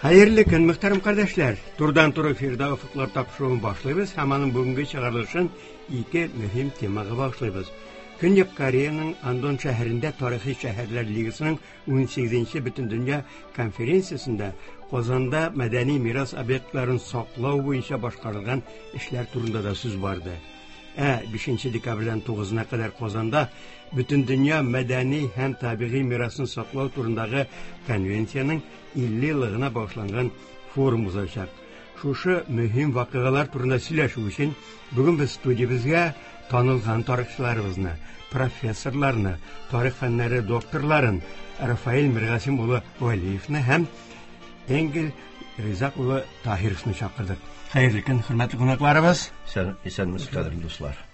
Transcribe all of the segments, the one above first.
Хәерле көн, мөхтәрәм кардәшләр! Турыдан-туры эфирда Офыклар тапшыруын башлыйбыз һәм аның бүгенге чыгарылышын ике мөһим темага багышлыйбыз. Көньяк Кореяның Андон шәһәрендә тарихи шәһәрләр лигасының 18-нче бөтендөнья конференциясендә Казанда мәдәни мирас объектларын саклау буенча башкарылган эшләр турында да сүз барды. Ә 5 декабрьдән 9-на кадәр Казанда Бөтендөнья мәдәни һәм табигый мирасын саклау турындагы конвенциянең 50 еллыгына багышланган форум узачак. Шушы мөһим вакыйгалар турында сөйләшү өчен бүген без студиябезгә танылган тарихчыларыбызны, профессорларны, тарих фәннәре докторларын Рафаэль Миргасим улы Вәлиевны һәм Энгель Ризак улы Таһировны чакырдык. Хәерле көн, хөрмәтле кунакларыбыз. Исәнмесез, кадерле дуслар.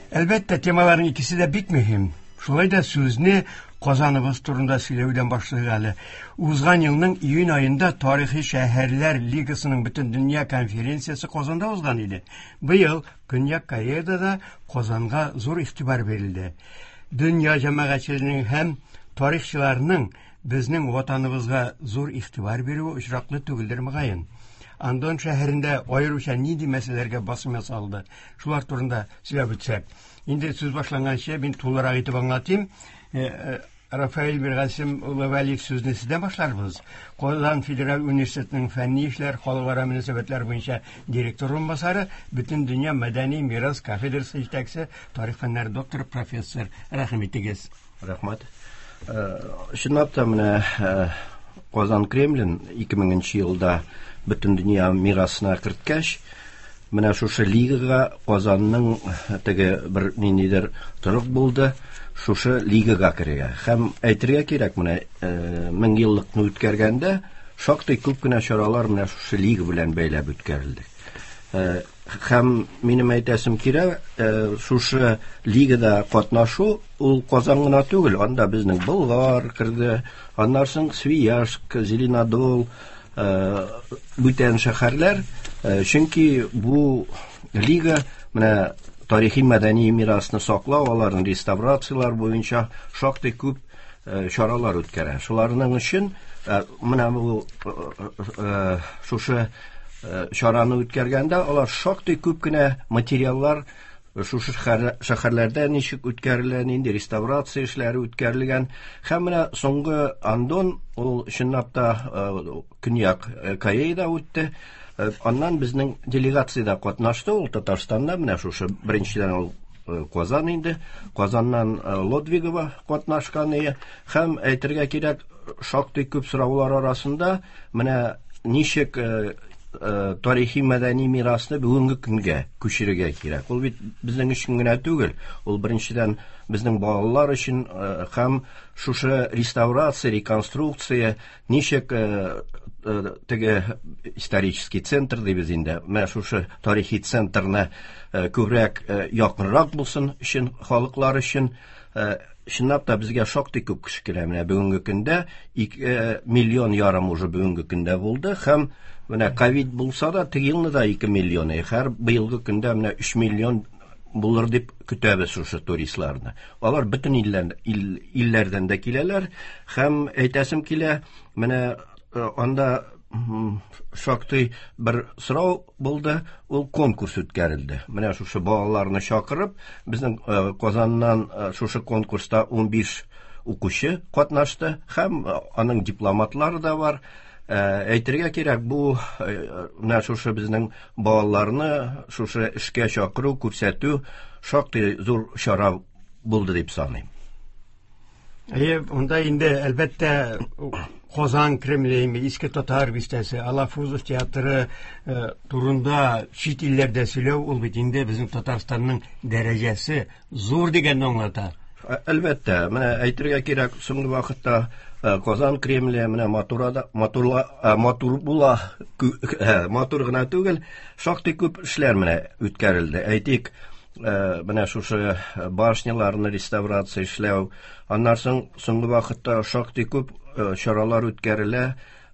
Әлбәттә, темаларның икесе дә бик мөһим. Шулай да сүзне Казаныбыз турында сөйләүдән башлыйк әле. Узган елның июнь аенда Тарихи шәһәрләр лигасының бөтендөнья конференциясе Казанда узган иде. Быел Көньяк Кореяда да Казанга зур игътибар бирелде. Дөнья җәмәгатьчелегенең һәм тарихчыларның безнең ватаныбызга зур игътибар бирүе очраклы түгелдер, мөгаен. Андон шәһәрендә аеруча нинди мәсьәләләргә басым ясалды? Шулар турында сөйләп үтсәк. Инде сүз башланганчы мин тулырак итеп аңлатыйм. Э, э, Рафаэль Миргасим улы Вәлиев сүзне сездән башларбыз. Казан федераль университетының фәнни эшләр, халыкара мөнәсәбәтләр буенча директор урынбасары, Бөтендөнья мәдәни мирас кафедрасы җитәкчесе, тарих фәннәре докторы, профессор. Рәхим итегез. Рәхмәт. Э, чынлап та менә э, Казан Кремлен 2000 елда Бөтендөнья мирасына керткәч, менә шушы лигага Казанның э, теге бер ниндидер торык булды, шушы лигага керергә. Һәм әйтергә кирәк, менә мең еллыкны үткәргәндә шактый күп кенә чаралар менә шушы лига белән бәйләп үткәрелде. Һәм минем әйтәсем килә, шушы лигада катнашу ул Казан гына түгел, анда безнең Болгар керде, аннан соң Свияжск, Зеленодол, бүтән шәһәрләр, чөнки бу лига менә тарихи мәдәни мирасны саклау, аларны реставрацияләр буенча шактый күп чаралар үткәрә. Шуларның өчен менә бу шушы чараны үткәргәндә алар шактый күп кенә материаллар шушы шәһәрләрдә ничек үткәрелә, нинди реставрация эшләре үткәрелгән. Һәм менә соңгы Андон ул чынлап та Көньяк Кореяда үтте. Аннан безнең делегация дә катнашты, ул Татарстанда менә шушы беренчедән ул Казан инде. Казаннан Лодвигова катнашкан ие. Һәм әйтергә кирәк, шактый күп сораулар арасында менә ничек тарихи мәдәни мирасны бүгенге көнгә күчерергә кирәк. Ул бит безнең өчен генә түгел, ул беренчедән безнең балалар өчен һәм шушы реставрация, реконструкция ничек теге исторический центр дибез инде, менә шушы тарихи центрны күбрәк якынрак булсын өчен, халыклар өчен. Чынлап та безгә шактый күп кеше килә. Менә бүгенге көндә 2 миллион ярым уже бүгенге көндә булды һәм менә ковид булса да теге елны да 2 миллион, һәр быелгы көндә менә 3 миллион булыр дип көтәбез шушы туристларны. Алар бөтен илләр, ил, илләрдән дә киләләр һәм әйтәсем килә, менә э, анда шактый бер сорау булды, ул конкурс үткәрелде. Менә шушы балаларны чакырып, безнең э, Казаннан э, шушы конкурста 15 укучы катнашты һәм аның дипломатлары да бар. Әйтергә кирәк, бу менә шушы безнең балаларны шушы эшкә чакыру, күрсәтү шактый зур чара булды дип саныйм. Әйе, монда инде әлбәттә Казан Кремле, Иске Татар бистәсе, Алафузов театры э, турында чит илләрдә сөйләү ул бит инде безнең Татарстанның дәрәҗәсе зур дигәнне аңлата. Әлбәттә, менә әйтергә кирәк, соңгы вакытта э, Казан Кремле менә матурада, матурла, э, матур була, э, матур гына түгел, шактый күп эшләр менә үткәрелде. Әйтик, менә шушы башняларны реставрация эшләү, аннан соң соңгы вакытта шактый күп чаралар үткәрелә.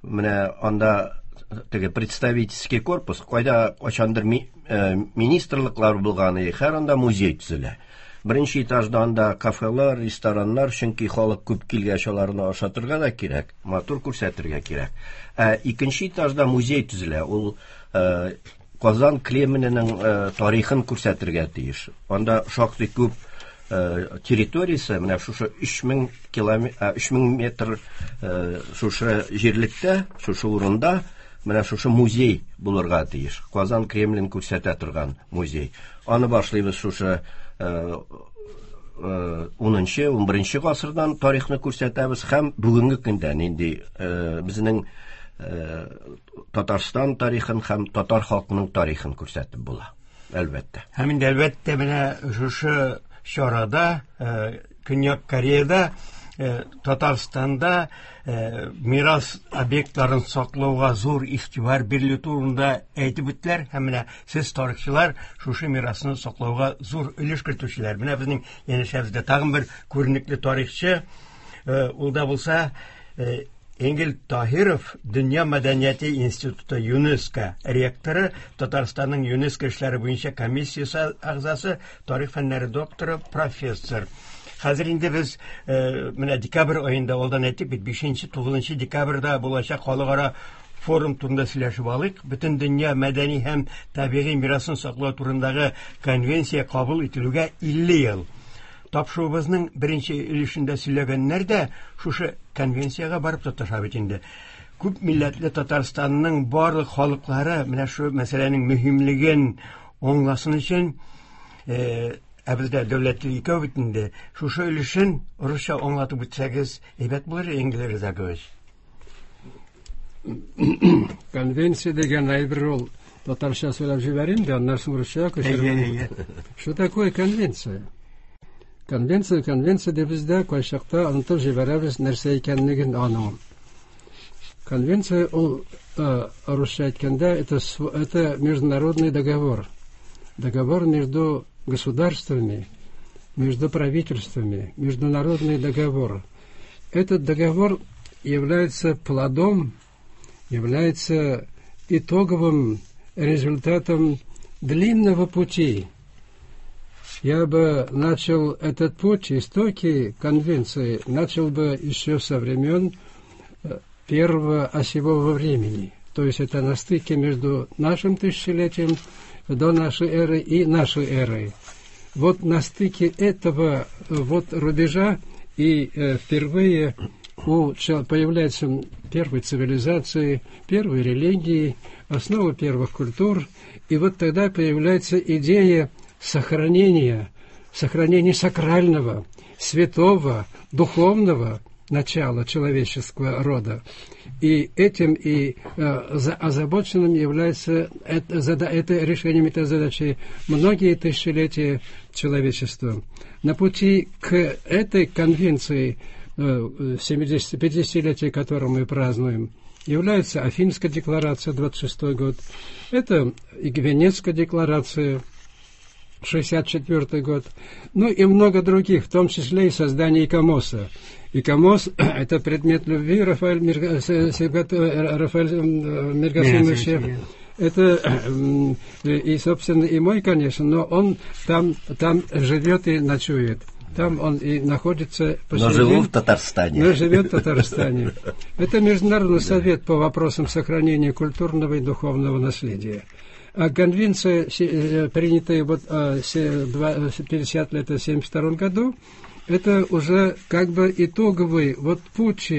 Менә анда теге представительский корпус, кайда кайчандыр министрлыклар булган, хәзер анда музей төзелә. Беренче этажда анда кафелар, рестораннар, чөнки халык күп килгәч аларны ашатырга да кирәк, матур күрсәтергә кирәк. Ә икенче этажда музей төзелә. Ул Казан Кремленең тарихын күрсәтергә тиеш. Анда шактый күп территориясе, менә шушы 3000 километр, 3000 метр шушы җирлектә, шушы урында менә шушы музей булырга тиеш. Казан Кремлен күрсәтә торган музей. Аны башлыйбыз шушы 10-нчы, 11-нче гасырдан тарихны күрсәтәбез һәм бүгенге көндә нинди безнең Татарстан тарихын һәм татар халкының тарихын күрсәтеп була. Әлбәттә. Һәм инде әлбәттә менә шушы чарада Көньяк Кореяда Татарстанда мирас объектларын саклауга зур игътибар бирелү турында әйтеп үттеләр һәм менә сез тарихчылар шушы мирасны саклауга зур өлеш кертүчеләр. Менә безнең янәшәбездә тагын бер күренекле тарихчы, ул да булса Энгель Таһиров, Дөнья мәдәнияте институты ЮНЕСКО ректоры, Татарстанның ЮНЕСКО эшләре буенча комиссиясе әгъзасы, тарих фәннәре докторы, профессор. Хәзер инде без менә декабрь аенда алдан әйттек бит, 5-9 декабрьдә булачак халыкара форум турында сөйләшеп алыйк. Бөтен дөнья мәдәни һәм табигый мирасын саклау турындагы конвенция кабул ителүгә 50 ел. Тапшыруыбызның беренче өлешендә сөйләгәннәр дә шушы конвенциягә барып тоташа бит инде. Күп милләтле Татарстанның барлык халыклары менә шу мәсьәләнең мөһимлеген аңласын өчен, ә бездә дәүләт теле икәү бит инде, шушы өлешен русча аңлатып үтсәгез, әйбәт булыр, Энгель Ризакович. Конвенция дигән әйбер ул татарча сөйләп җибәрим дә, аннан соң русча күчерәм. Что такое конвенция? Конвенция, конвенция дип без дә кайчакта онытып җибәрәбез нәрсә икәнлеген аның. Конвенция ул, русча әйткәндә, это международный договор. Договор между государствами, между правительствами, международный договор. Этот договор является плодом, является итоговым результатом длинного пути. Я бы начал этот путь, истоки конвенции, начал бы еще со времен первого осевого времени. То есть это на стыке между нашим тысячелетием до нашей эры и нашей эрой. Вот на стыке этого вот рубежа и впервые появляются первые цивилизации, первые религии, основа первых культур. И вот тогда появляется идея сохранения сакрального, святого, духовного начала человеческого рода. И этим и озабоченным является это решением этой задачи многие тысячелетия человечества. На пути к этой конвенции, 50-летие которой мы празднуем, является Афинская декларация, 26 год, это и Венецкая декларация, 64 год, ну и много других, в том числе и создание ИКОМОСа. ИКОМОС – это предмет любви Рафаэль Миргасимовича. Это и, собственно, и мой, конечно, но он там живет и ночует. Там он и находится по сей день. Но живу в Татарстане. Но живет в Татарстане. Это Международный совет по вопросам сохранения культурного и духовного наследия. А конвенция, принятая вот 50 лет в 1972 году, это уже как бы итоговый вот путь,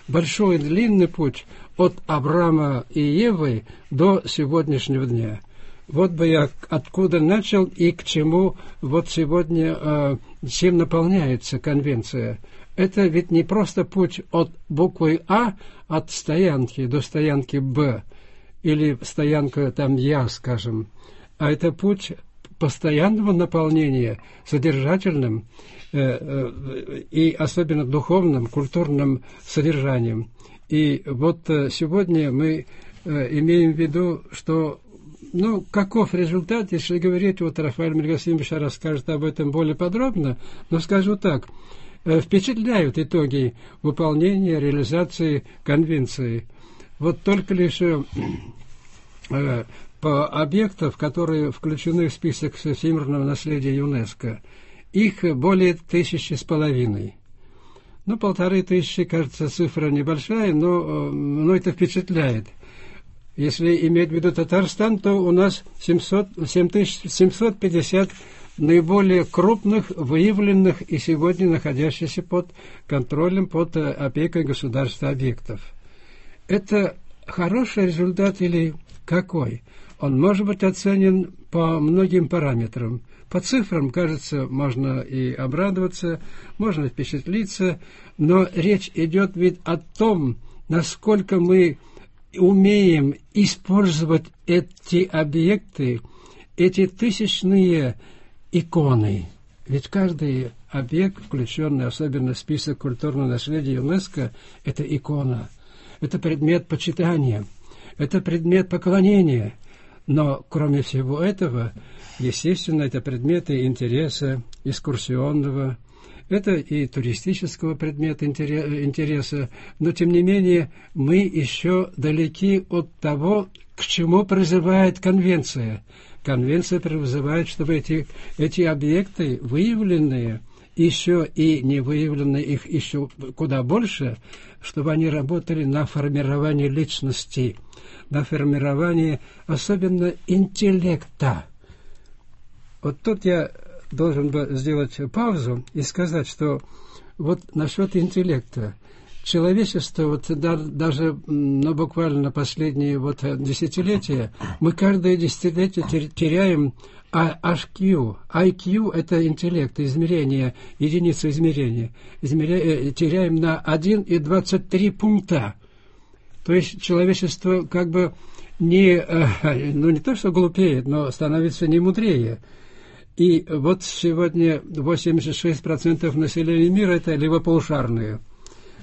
большой длинный путь от Авраама и Евы до сегодняшнего дня. Вот бы я откуда начал и к чему вот сегодня, чем наполняется конвенция. Это ведь не просто путь от буквы А, от стоянки до стоянки Б, или стоянка там Я, скажем, а это путь постоянного наполнения содержательным и особенно духовным, культурным содержанием. И вот сегодня мы имеем в виду, что, ну, каков результат, если говорить, вот Рафаэль Миргасимович расскажет об этом более подробно, но скажу так, впечатляют итоги выполнения, реализации конвенции. Вот только лишь по объектов, которые включены в список всемирного наследия ЮНЕСКО, Их более 1500. Ну, 1500, кажется, цифра небольшая, но это впечатляет. Если иметь в виду Татарстан, то у нас 7750 наиболее крупных, выявленных и сегодня находящихся под контролем, под опекой государства объектов. Это хороший результат или какой? Он может быть оценен по многим параметрам. По цифрам, кажется, можно и обрадоваться, можно впечатлиться, но речь идет ведь о том, насколько мы умеем использовать эти объекты, эти тысячные иконы. Ведь каждый объект, включенный особенно в список культурного наследия ЮНЕСКО, это икона, это предмет почитания, это предмет поклонения. Но, кроме всего этого, естественно, это предметы интереса экскурсионного, это и туристического предмета интереса, но, тем не менее, мы еще далеки от того, к чему призывает конвенция. Конвенция призывает, чтобы эти объекты, выявленные, еще и не выявленные, их еще куда больше, чтобы они работали на формирование личности, на формирование особенно интеллекта. Вот тут я должен бы сделать паузу и сказать, что вот насчет интеллекта. Человечество, вот даже, ну, буквально последние вот десятилетия, мы каждое десятилетие теряем HQ. IQ – это интеллект, измерение, единица измерения. Теряем на 1,23 пункта. То есть человечество как бы не, ну, не то что глупеет, но становится не мудрее. И вот сегодня 86% населения мира – это левополушарные.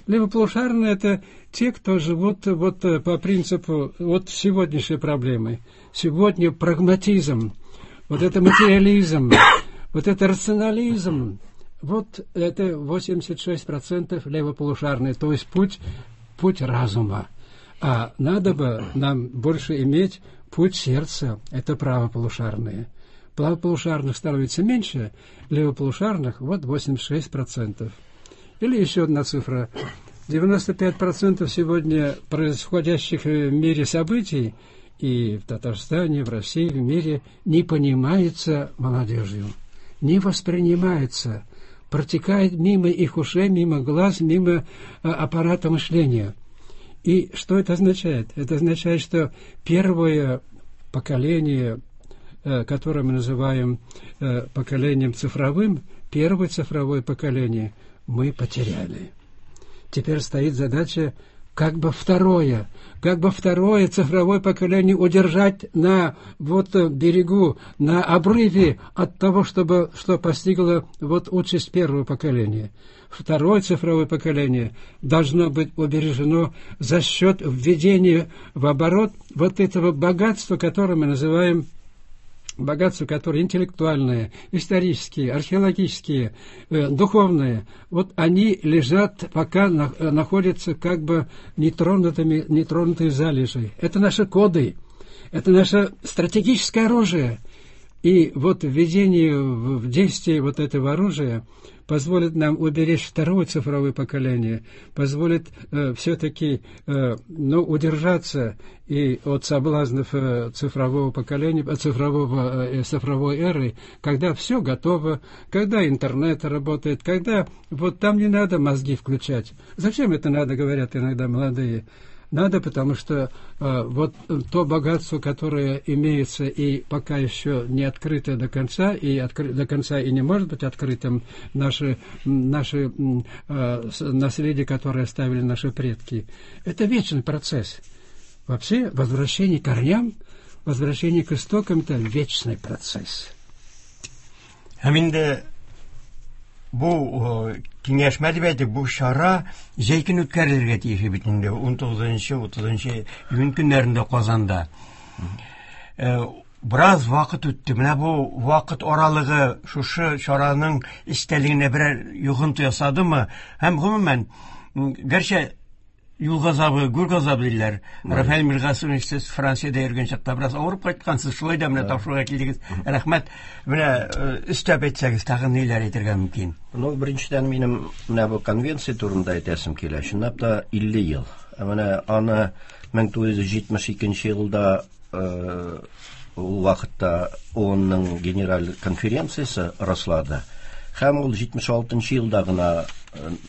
Левополушарные – это те, кто живут вот по принципу вот сегодняшней проблемы. Сегодня прагматизм, вот это материализм, вот это рационализм. Вот это 86% левополушарные, то есть путь разума. А надо бы нам больше иметь путь сердца, это правополушарные. Правополушарных становится меньше, левополушарных вот 86%. Или еще одна цифра. 95% сегодня происходящих в мире событий и в Татарстане, в России, в мире не понимается молодежью, не воспринимается, протекает мимо их ушей, мимо глаз, мимо аппарата мышления. И что это означает? Это означает, что первое поколение, которое мы называем поколением цифровым, первое цифровое поколение мы потеряли. Теперь стоит задача как бы второе цифровое поколение удержать на вот берегу, на обрыве от того, чтобы, что постигло вот участь первого поколения. Второе цифровое поколение должно быть убережено за счет введения в оборот вот этого богатства, которое мы называем богатства, которые интеллектуальные, исторические, археологические, духовные, вот они лежат, пока находятся как бы нетронутые залежи. Это наши коды, это наше стратегическое оружие. И вот введение в действие вот этого оружия позволит нам уберечь второе цифровое поколение, позволит все-таки удержаться и от соблазнов цифрового поколения, цифровой эры, когда все готово, когда интернет работает, когда вот там не надо мозги включать. Зачем это надо, говорят иногда молодые? Надо, потому что вот то богатство, которое имеется и пока еще не открыто до конца, и до конца и не может быть открытым, наше наследие, которое оставили наши предки, это вечный процесс. Вообще возвращение к корням, возвращение к истокам – это вечный процесс. Һәм бу киңәшмә дип әйтик, бу чара җәй көне үткәрелергә тиеш бит инде 19-30 июнь көннәрендә Казанда. Бераз вакыт үтте. Менә бу вакыт аралыгы шушы чараның эчтәлегенә берәр йогынты ясадымы? Һәм гомумән, гәрчә Юл газабы, гүр газабы диләр. Рафаэль Миргасымович, сез Франциядә йөргән чакта бераз авырып кайткансыз, шулай да менә тапшыруга килдегез. Рәхмәт. Менә өстәп әйтсәгез, тагын ниләр әйтергә мөмкин? Ну, беренчедән минем менә бу конвенция турында әйтәсем килә. Чынлап та 50 ел. Ә менә аны 1972 елда ул вакытта ООНның генераль конференциясе раслады. Һәм ул 76 елда гына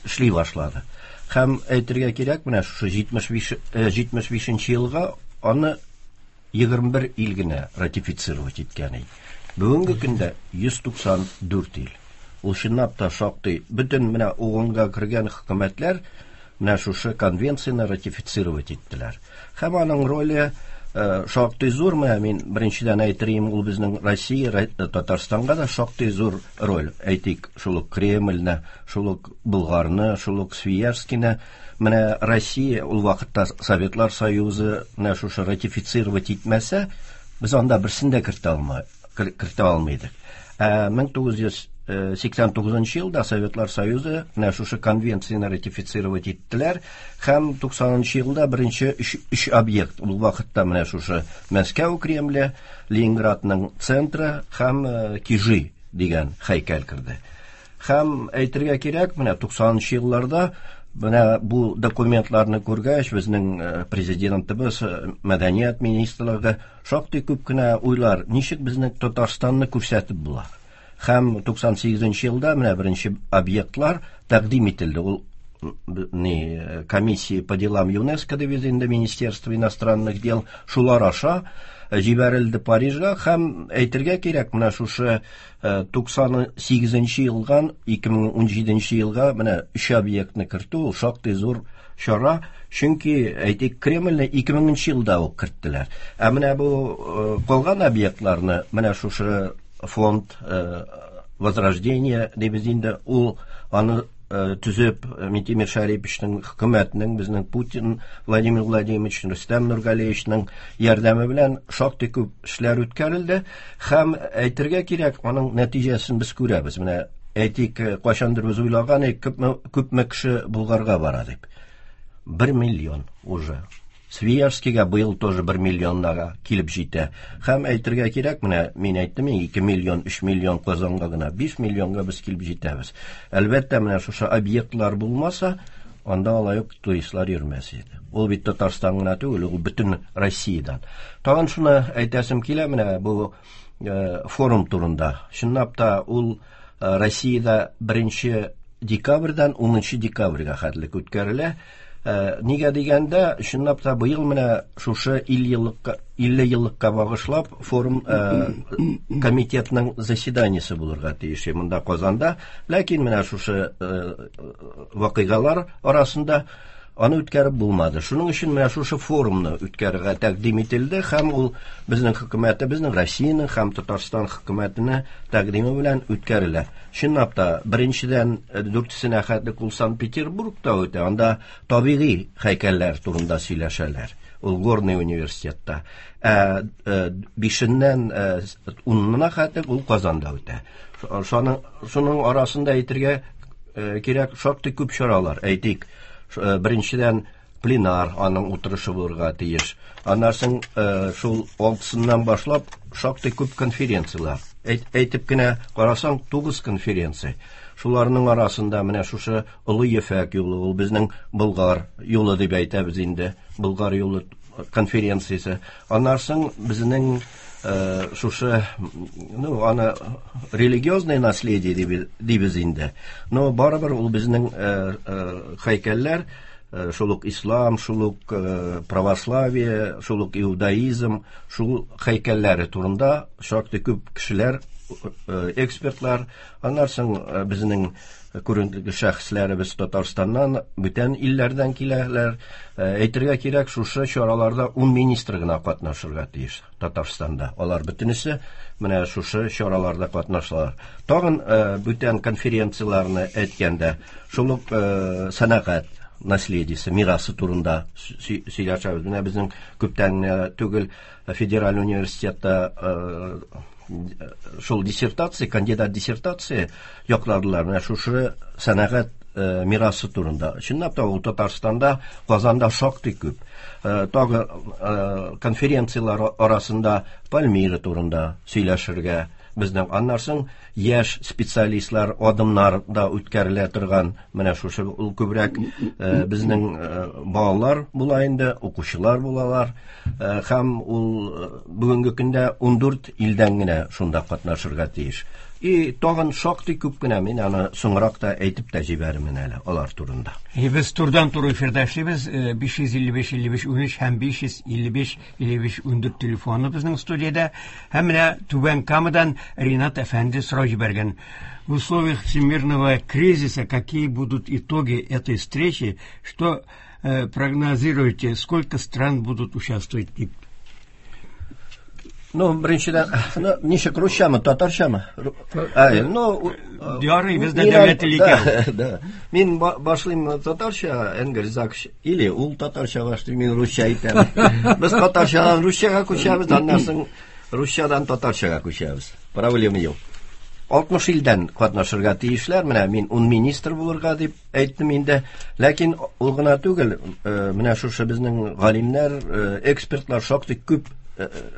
эшли башлады. Һәм әйтергә кирәк, менә шушы 75 елга аны 21 ил генә ратифицировать иткән иде. Бүгенге көндә 194 ил. Ул чынлап та шактый бөтен менә ООНга кергән хөкүмәтләр менә шушы конвенцияне ратифицировать иттеләр. Һәм аның роле шактый зур. Менә мин беренчедән әйтер идем, ул безнең Россия, Татарстанга да шактый зур роль. Әйтик, шул ук Кремльне, шул ук Болгарны, шул ук Свияжскийны менә Россия ул вакытта Советлар Союзы менә шушы ратифицировать итмәсә, без анда берсен дә кертә алмыйдык. Ә 1989 елда Советлар Союзы менә шушы конвенцияне ратифицировать иттеләр һәм 90 елда беренче өч объект ул вакытта менә шушы Мәскәү Кремле, Ленинградның центры һәм Кижи дигән һәйкәл керде. Һәм әйтергә кирәк, менә 90 елларда менә бу документларны күргәч, безнең президентыбыз, мәдәният министрлыгы шактый күп кенә уйлар, ничек безнең Татарстанны күрсәтеп була. Һәм 98 елда менә беренче объектлар тәкъдим ителде. Ул не комиссия по делам ЮНЕСКО дип инде Министерство иностранных дел шулар аша җибәрелде Парижга һәм әйтергә кирәк, менә шушы 98 елдан 2017 елга менә өч объектны кертү ул шактый зур чара, чөнки әйтик Кремльне 2000 елда ук керттеләр. Ә менә бу калган объектларны менә шушы фонд Возрождение дибез инде, ул аны төзеп Минтимер Шәриповичның хөкүмәтенең, безнең Путин Владимир Владимирович, Рөстәм Нургалиевичның ярдәме белән шактый күп эшләр үткәрелде һәм әйтергә кирәк, аның нәтиҗәсен без күрәбез. Менә әйтик, кайчандыр без уйлаган идек, күпме кеше Болгарга бара дип. 1 миллион уже. Свияжскийга быел тоже 1 миллионнага килеп җитә. Һәм әйтергә кирәк, менә мин әйттем, 2 миллион, 3 миллион Казанга гына, 5 миллионга без килеп җитәбез. Әлбәттә, менә шушы объектлар булмаса, анда алай ук туристлар йөрмәс иде. Ул бит Татарстан гына түгел, ул бөтен Россиядән. Тагын шуны әйтәсем килә, менә бу форум турында. Чынлап та ул Россиядә 1 декабрьдән 10 декабрьгә хәтлек үткәрелә. Нигә дигәндә, чынлап та быел менә шушы 50 еллыкка багышлап форум комитетның заседаниесе булырга тиеш монда Казанда. Ләкин менә шушы вакыйгалар арасында аны үткәреп булмады. Шуның өчен менә шушы форумны үткәрергә тәкъдим ителде һәм ул безнең хөкүмәтебезнең, Россиянең һәм Татарстан хөкүмәтенең тәкъдиме белән үткәрелә. Чынлап та, беренчедән дүртесенә хәтлек ул Санкт-Петербургта үтә, анда табигый һәйкәлләр турында сөйләшәләр. Ул Горный университетта. Ә бишеннән унына хәтлек ул Казанда үтә. Шуның арасында әйтергә кирәк, шактый күп чаралар. Әйтик, беренчедән пленар аның утырышы булырга тиеш. Аннан соң шул алтысыннан башлап шактый күп конференцияләр. Әйтеп кенә карасаң, 9 конференция. Шуларның арасында менә шушы Олы Ефәк юлы, ул безнең Болгар юлы дип әйтәбез инде, Болгар юлы конференциясе. Аннан соң безнең шушы, ну, аны религиозное наследие дибез инде. Но барыбер ул безнең һәйкәлләр, шул ук ислам, шул ук православие, шул ук иудаизм, шул һәйкәлләре турында шактый күп кешеләр, экспертлар, аннан соң безнең күренекле шәхесләребез Татарстаннан, бүтән илләрдән киләләр. Әйтергә кирәк, шушы чараларда 10 министр гына катнашырга тиеш Татарстанда. Алар бөтенесе менә шушы чараларда катнашалар. Тагын бүтән конференцияләрне әйткәндә, шул ук сәнәгать наследиесе, мирасы турында сөйләшәбез. Менә безнең күптән түгел федераль университетта Шул диссертация, кандидат диссертация якладылар. Менә шушы сәнәгать мирасы турында. Чынлап та ул Татарстанда, Казанда шактый күп. Тагы конференцияләр арасында Пальмира турында сөйләшергә безнең аннан соң яшь специалистлар адымнар да үткәрелә торган менә шушы ул күбрәк безнең балалар була инде, укучылар булалар. Һәм ул бүгенге көндә 14 илдән генә шунда катнашырга тиеш. И тагын шактый күп кенә мин аны соңрак та әйтеп тә җибәрермен әле алар турында. И без турдан туры эфирда эшлибез. 555 55 13 һәм 555 55 14 телефоны безнең студиядә. Һәм менә Түбән Камадан Ринат әфәнде сорау җибәргән. В условиях всемирного кризиса какие будут итоги этой встречи? Что прогнозируете? Сколько стран будут участвовать? Ну, беренчедән, ну, ничек, русчамы, татарчамы? Әй, ну, Ярый, бездә дәүләт теле икән. Да. Мин башлыйм татарча, Энгель Закш, или ул татарча башлый, мин русча әйтәм. Без татарчадан русчага күчәбез, аннан соң русчадан татарчага күчәбез. Проблема юк. 60 илдән катнашырга тиешләр. Менә мин 10 министр булырга дип әйттем инде. Ләкин ул гына түгел, менә шушы безнең галимнәр, экспертлар шактый күп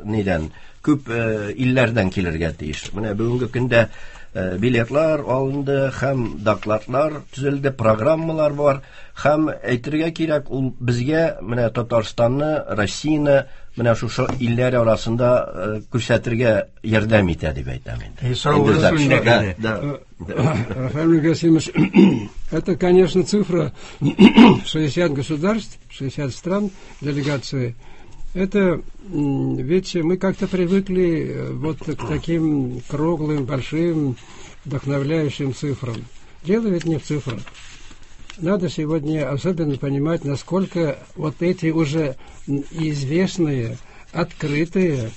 нидән, күп илләрдән килергә тиеш. Менә бүгенге көндә билетлар алынды һәм докладлар төзелде, программалар бар. Һәм әйтергә кирәк, ул безгә менә Татарстанны, Россияне менә шушы илләр арасында күрсәтергә ярдәм итә дип әйтәм инде. Инде Да. Рафаэль Гасимович, это, конечно, цифра 60 государств, 60 стран делегации. Это ведь мы как-то привыкли вот к таким круглым, большим, вдохновляющим цифрам. Дело ведь не в цифрах. Надо сегодня особенно понимать, насколько вот эти уже известные, открытые,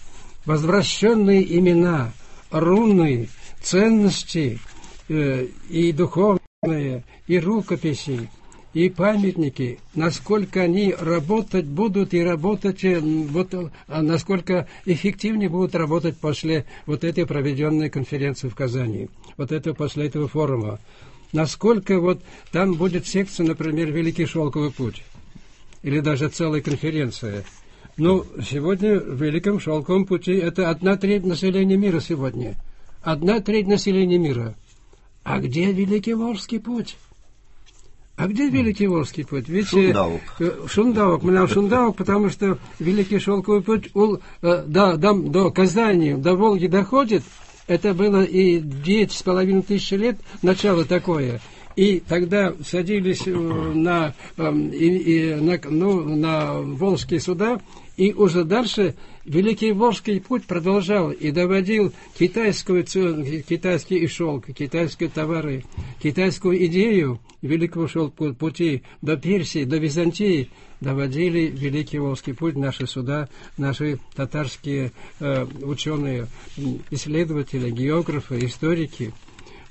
возвращенные имена, руны, ценности и духовные, и рукописи, и памятники, насколько они работать будут и работать, вот, насколько эффективнее будут работать после вот этой проведенной конференции в Казани, вот это после этого форума. Насколько вот там будет секция, например, «Великий шелковый путь», или даже целая конференция. Ну, сегодня в Великом шелковом пути это 1/3 населения мира сегодня. 1/3 населения мира. А где Великий Волжский путь? А где Великий Волжский путь? Ведь, Шундаук. Шундаук. Менә Шундаук, потому что Великий Шелковый путь ул, до Казани, до Волги доходит. Это было и 9,5 тысяч лет, начало такое. И тогда садились на, ну, на волжские суда, и уже дальше Великий Волжский путь продолжал и доводил китайский и шелк, китайские товары, китайскую идею Великого шелкового пути до Персии, до Византии доводили Великий Волжский путь наши суда, наши татарские ученые, исследователи, географы, историки.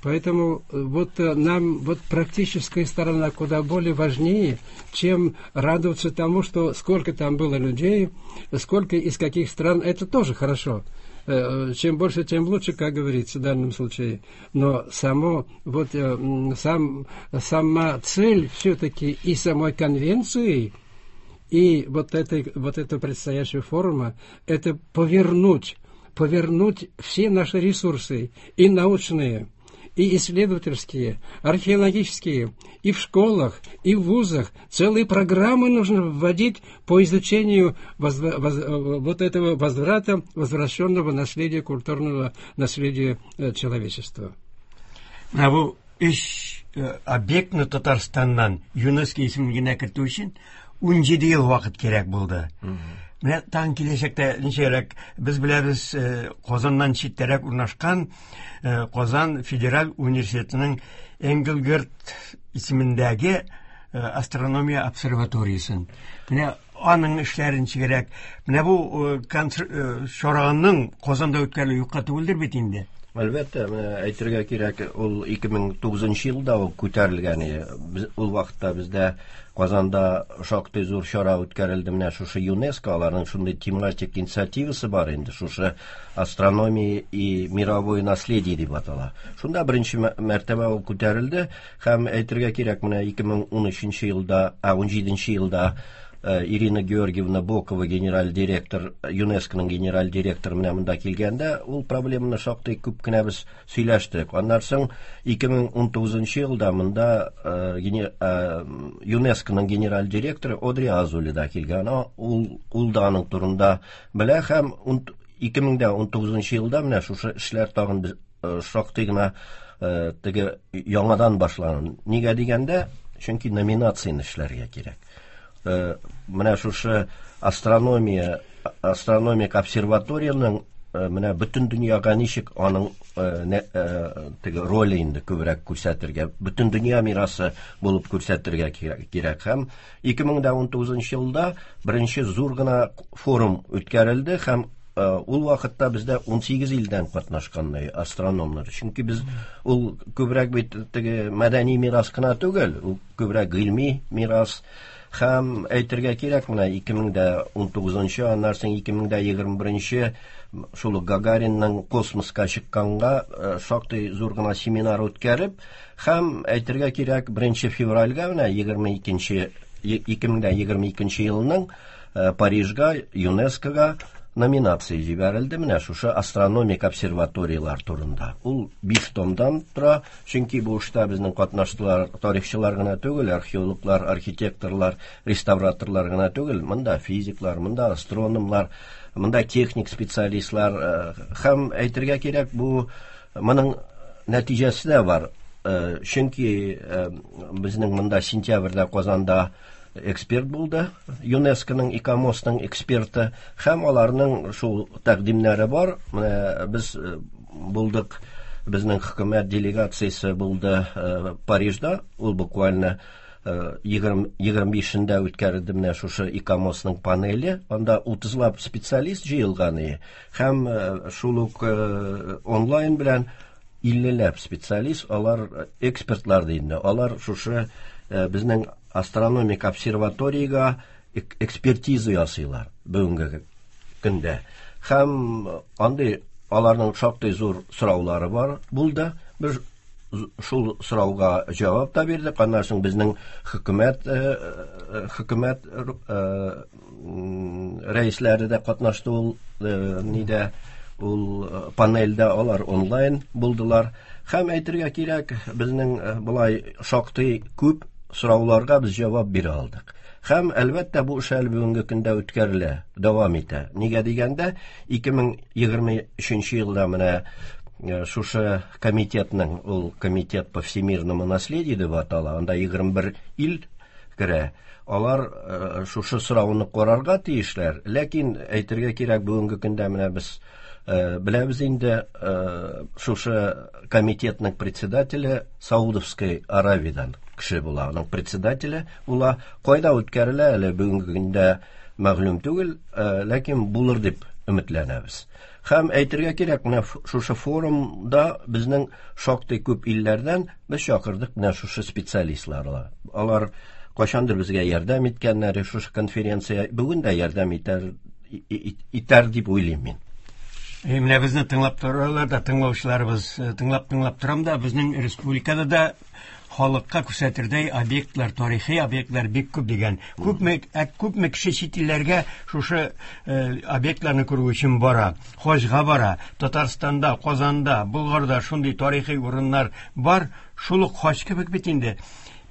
Поэтому вот нам вот практическая сторона куда более важнее, чем радоваться тому, что сколько там было людей, сколько из каких стран, это тоже хорошо. Чем больше, тем лучше, как говорится в данном случае. Но само, вот, сама цель все-таки и самой конвенции, и вот этого предстоящего форума, это повернуть все наши ресурсы, и научные, и исследовательские, археологические, и в школах, и в вузах. Целые программы нужно вводить по изучению вот этого возврата, возвращенного наследия, культурного наследия человечества. Менә бу өч объектны Татарстаннан ЮНЕСКО исемлегенә кертү өчен 17 ел вакыт кирәк булды. Менә тагын киләчәктә ничәрәк без беләбез, Казаннан читтәрәк урнашкан Казан федераль университетының Энгельгард исемендәге астрономия обсерваториясен. Менә аның эшләрен ничегрәк. Менә бу чараның Казанда үткәрелүе юкка түгелдер бит инде. Әлбәттә, менә әйтергә кирәк, ул 2009 елда ук күтәрелгән иде. Ул вакытта бездә Казанда шактый зур чара үткәрелде. Менә шушы ЮНЕСКО, аларның шундый тематик инициативасы бар инде, шушы астрономия и мировое наследие дип атала. Шунда беренче мәртәбә ул күтәрелде һәм әйтергә кирәк, менә 2013 елда, 17 елда Ирина Георгиевна Бокова, генераль директор, ЮНЕСКОның генераль директоры менә монда килгәндә, ул проблеманы шактый күп кенә без сөйләштек. Аннан соң 2019 елда монда ЮНЕСКОның генераль директоры Одри Азули да килгән. Ул да аның турында белә һәм 2019 елда менә шушы эшләр тагын без шактый гына теге яңадан башланды. Нигә дигәндә, чөнки номинацияне эшләргә кирәк. Менә шушы астрономия, астрономик обсерваторияның менә бөтен дөньяга ничек аның теге роле инде күбрәк күрсәтергә, бөтен дөнья мирасы булып күрсәтергә кирәк. Һәм 2019 елда беренче зур гына форум үткәрелде һәм ул вакытта бездә 18 илдән катнашкан астрономнар. Чөнки без ул күбрәк бит теге мәдәни мирас кына түгел, ул күбрәк гыйльми мирас. Һәм әйтергә кирәк, менә 2019, аннан соң 2021 шул ук Гагаринның космоска чыкканга шактый зур гына семинар үткәреп, һәм әйтергә кирәк, 1 февральгә менә 2022 елның Парижга, ЮНЕСКОга номинация җибәрелде менә шушы астрономик обсерваторияләр турында. Ул 5 томдан тора, чөнки бу эштә безнең катнаштылар тарихчылар гына түгел, археологлар, архитекторлар, реставраторлар гына түгел, монда физиклар, монда астрономлар, монда техник специалистлар һәм әйтергә кирәк, бу моның нәтиҗәсе дә бар. Чөнки безнең монда сентябрьдә Казанда эксперт булды, ЮНЕСКОның ИКОМОСның эксперты, һәм аларның шул тәкъдимнәре бар. Менә без булдык, безнең хөкүмәт делегациясе булды Парижда, ул буквально 25-ндә үткәрелде менә шушы ИКОМОСның панеле, анда 30лап специалист җыелган иде, һәм шул ук онлайн белән 50ләп специалист, алар экспертлар инде, алар шушы безнең астрономик обсерваториягә экспертиза ясыйлар бүгенге көндә. Һәм андый аларның шактый зур сораулары бар булды. Без шул сорауга җавап та бирдек. Аннан соң безнең хөкүмәт рәисләре дә катнашты ул нидә, ул панельдә, алар онлайн булдылар. Һәм әйтергә кирәк, безнең болай шактый күп сорауларга без җавап бирә алдык. Һәм әлбәттә бу эш әле бүгенге көндә үткәрелә, дәвам итә. Нигә дигәндә, 2023 елда менә шушы комитетның, ул комитет по всемирному наследию дип атала, анда 21 ил керә. Алар шушы сорауны карарга тиешләр. Ләкин әйтергә кирәк, бүгенге көндә менә без беләбез инде, шушы комитетның председателе Саудовской Аравиядан кеше була. Аның председателе була. Кайда үткәрелә әле бүгенге көндә мәгълүм түгел, ләкин булыр дип өметләнәбез. Һәм әйтергә кирәк, менә шушы форумда безнең шактый күп илләрдән без чакырдык менә шушы специалистларны. Алар кайчандыр безгә ярдәм иткәннәр, шушы конференция бүген дә ярдәм итәр дип уйлыйм мин. Менә безне тыңлап торалар да, тыңлаучыларыбыз, тыңлап-тыңлап торам да, безнең республикада да халыкка күрсәтердәй объектлар, тарихи объектлар бик күп дигән. Күпме кеше чит илләргә шушы объектларны күрү өчен бара, хаҗга бара. Татарстанда, Казанда, Болгарда шундый тарихи урыннар бар, шул ук хаҗ кебек бит инде.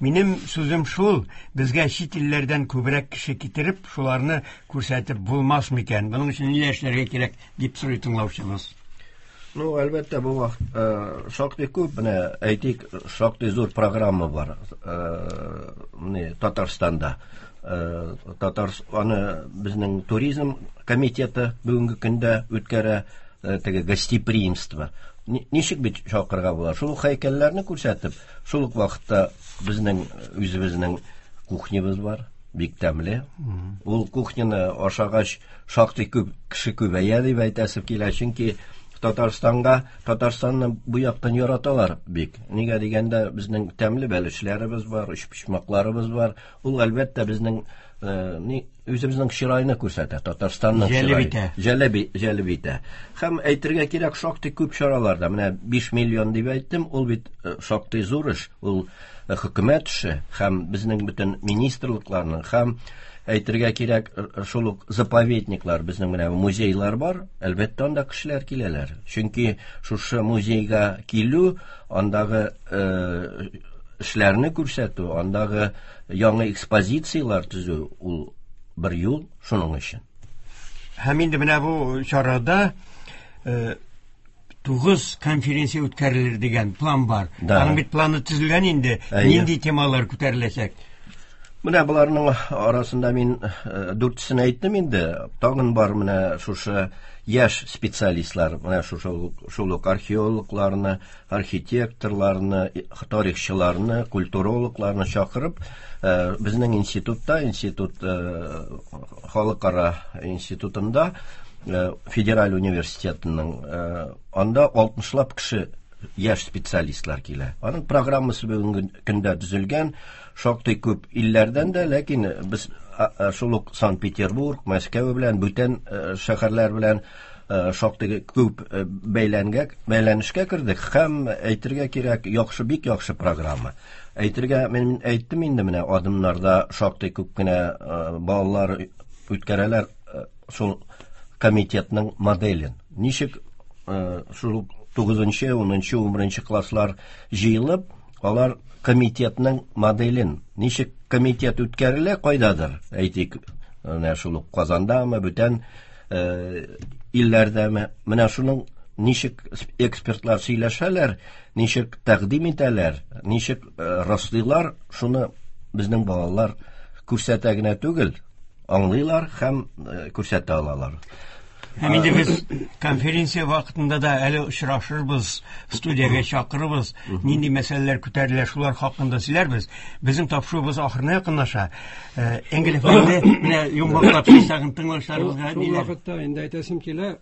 Минем сүзем шул, безгә чит илләрдән күбрәк кеше китереп, шуларны күрсәтеп булмас микән? Моның өчен ниләр эшләргә кирәк дип сорый тыңлаучыбыз. Ну, әлбәттә, бу вакыт шактый күп, менә әйтик, шактый зур программа бар, менә Татарстанда. Аны безнең туризм комитеты бүгенге көндә үткәрә, теге гостеприимство. Ничек бит чакырырга була? Шул ук һәйкәлләрне күрсәтеп, шул ук вакытта безнең үзебезнең кухнябыз бар, бик тәмле. Ул кухняны ашагач шактый күп кеше күбәя дип әйтәсе килә, чөнки Татарстанга, Татарстанны бу яктан яраталар бик. Нигә дигәндә, безнең тәмле бәлешләребез бар, өчпочмакларыбыз бар. Ул әлбәттә безнең ни үзебезнең чырайны күрсәтә, Татарстанның Җәлеп итә. Җәлеп, җәлеп итә. Һәм әйтергә кирәк, шактый күп чараларда. Менә 5 миллион дип әйттем, ул бит шактый зур эш. Ул хөкүмәт эше һәм безнең бөтен министрлыкларның һәм әйтергә кирәк, шул ук заповедниклар, безнең менә музейлар бар, әлбәттә анда кешеләр киләләр. Чөнки шушы музейга килү, андагы эшләрне күрсәтү, андагы яңа экспозицияләр төзү, ул бер юл шуның өчен. Һәм инде менә бу чарада 9 конференция үткәрелер дигән план бар. Да. Аның бит планы төзелгән инде. Әйе. Нинди темалар күтәреләчәк? Менә боларның арасында мин дүртесен әйттем инде. Тагын бар менә шушы яшь специалистлар, менә шушы шул ук археологларны, архитекторларны, тарихчыларны, культурологларны чакырып, безнең институтта, институт халыкара институтында, федераль университетының, анда 60лап кеше яшь специалистлар килә. Аның программасы бүгенге көндә төзелгән, шактый күп илләрдән дә, ләкин без шул ук Санкт-Петербург, Мәскәү белән, бүтән шәһәрләр белән шактый күп бәйләнешкә кердек һәм әйтергә кирәк, яхшы, бик яхшы программа. Әйтергә, мин әйттем инде, менә адымнарда шактый күп кенә балалар үткәрәләр шул комитетның моделен. Ничек шул тугызынчы, унынчы, унберенче класслар җыелып, алар комитетның моделен, ничек комитет үткәрелә кайдадыр, әйтик, менә шул ук Казандамы, бүтән илләрдәме, менә шуның ничек экспертлар сөйләшәләр, ничек тәкъдим итәләр, ничек раслыйлар, шуны безнең балалар күрсәтә генә түгел, аңлыйлар һәм күрсәтә алалар. Һәм инде без конференция вакытында да әле очрашырбыз, студиягә чакырырбыз, нинди мәсьәләләр күтәрелә, шулар хакында сөйләрбез. Безнең тапшыруыбыз ахырына якынлаша. Энгель әфәнде, менә йомгаклап сүз тагын тыңлаучыларыбызга Шул ниләр? вакытта инде әйтәсем килә,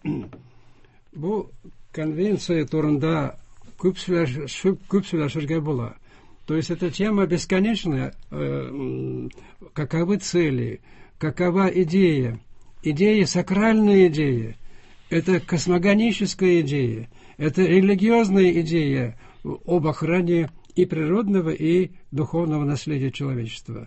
бу конвенция турында күп сөйләшергә була. То есть эта тема бесконечная. Каковы цели, какова идея? Идея, сакральная идея, это космогоническая идея, это религиозная идея об охране и природного, и духовного наследия человечества.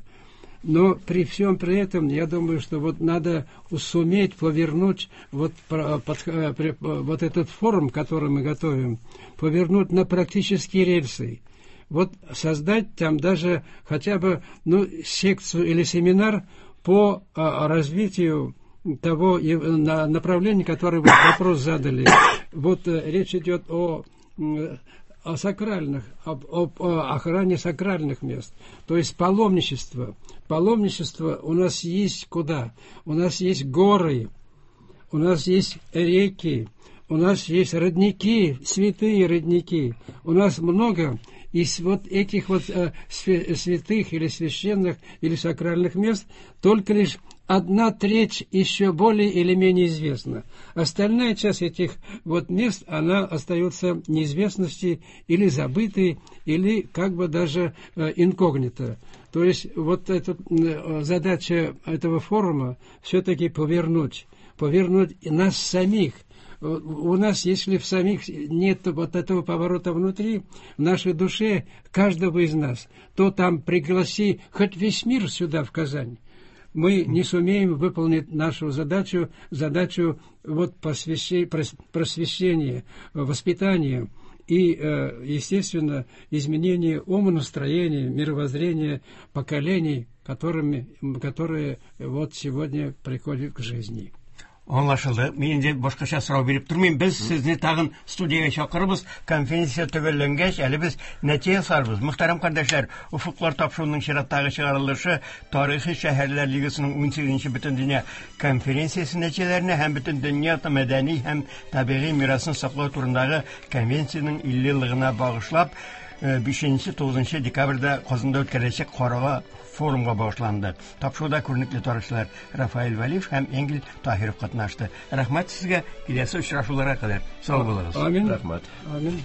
Но при всем при этом, я думаю, что надо суметь повернуть вот этот форум, который мы готовим, повернуть на практические рельсы. Создать там даже хотя бы, секцию или семинар по развитию того направления, которое вы вопрос задали. Речь идет о сакральных, об, об, о охране сакральных мест, то есть паломничество. Паломничество у нас есть куда? У нас есть горы, у нас есть реки, у нас есть родники, святые родники. У нас много из этих святых или священных или сакральных мест только лишь 1/3 еще более или менее известна. Остальная часть этих мест, она остается в неизвестности или забытой, или даже инкогнито. То есть эта задача этого форума все-таки повернуть нас самих. У нас, если в самих нет этого поворота внутри, в нашей душе, каждого из нас, то пригласи хоть весь мир сюда, в Казань, мы не сумеем выполнить нашу задачу, задачу просвещения, воспитания и, естественно, изменения умонастроения, мировоззрения поколений, которые сегодня приходят к жизни. Аңлашылды. Мин инде башкача сорау биреп тормыйм. Без сезне тагын студиягә чакырабыз. Конференция төгәлләнгәч, әле без нәтиҗә ясарбыз. Мөхтәрәм кардәшләр, Офыклар тапшыруының чираттагы чыгарылышы Тарихи шәһәрләр лигасының унсигезенче бөтендөнья конференциясе нәтиҗәләренә һәм бөтендөнья мәдәни һәм табигый мирасын саклау турындагы конвенциянең илле еллыгына багышлап, 5-9 декабрьдә Казанда үткәреләчәк Карага форумга багышланды. Тапшыруда күренекле тарихчылар Рафаэль Вәлиев һәм Энгель Таһиров катнашты. Рәхмәт сезгә, киләсе очрашуларга кадәр. Сау булыгыз. Амин. Рәхмәт. Амин.